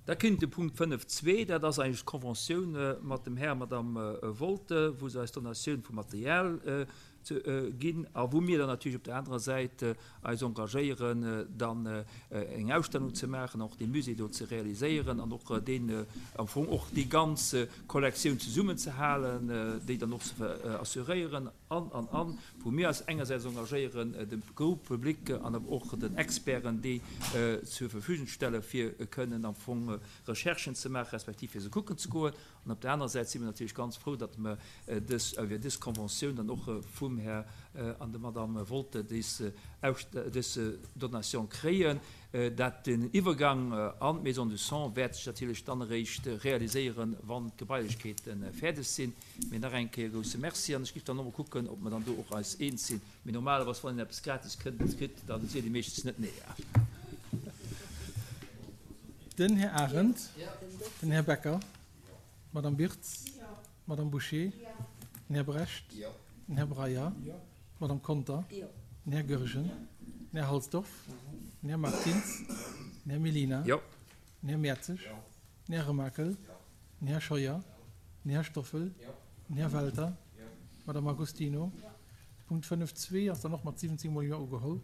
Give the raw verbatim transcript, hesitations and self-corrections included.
Da kënnt de Punkt fënnef zwee, dat ass eigentlech d'Conventioun mat dem Här a Madame Wolte, wou se eis Donatioun vu Material ginn a wou mir dann natierlech op der anerer Säit eis engagéieren, dann eng Ausstellung ze maachen, och dee Musée do ze realiséieren an och deen am Fong och déi ganz Kollektioun zesummenzehalen, déi dann och ze assuréieren an, an, an, wou mir eis engersäits engagéieren, dem Groupe public an awer och den Experten déi zur Verfügung stellen, fir kënnen am Fong Recherchen ze maachen, respektiv fir se kucken ze goen. An op der anerer Säit si mir natierlech ganz frou, datt mer dës, iwwer dës Conventioun dann och vum Här an der Madame Wolte dës, dës Donation kréien. Dat den Iwwergang an d'Maison du Sang wäert sech natierlech dann eréischt realiséieren, wann d'Gebailechkeete fäerdeg sinn. Mee nach eng Kéier e grousse Merci. An ech géif dann och mol kucken, ob mer dann do och eis eens sinn. Mee normalerweis, wann een eppes gratis kënnt, kritt, da seet ee meeschtens net nee. Den Här Arendt. Den Här Becker. D'Madame Birtz. D'Madame Bouché. Den Här Brecht. Den Här Breyer. D'Madame Conter. Den Här Goergen. Den Här Halsdorf. Den Här Martins. Den Här Mellina. Den Här Mertzig. Den Här Remakel. Den Här Scheuer. Den Här Stoffel. Den Här Welter. D'Madame Agostino. Punkt fënnef zwee ass dann och mat siwwenzéng mol Jo ugeholl.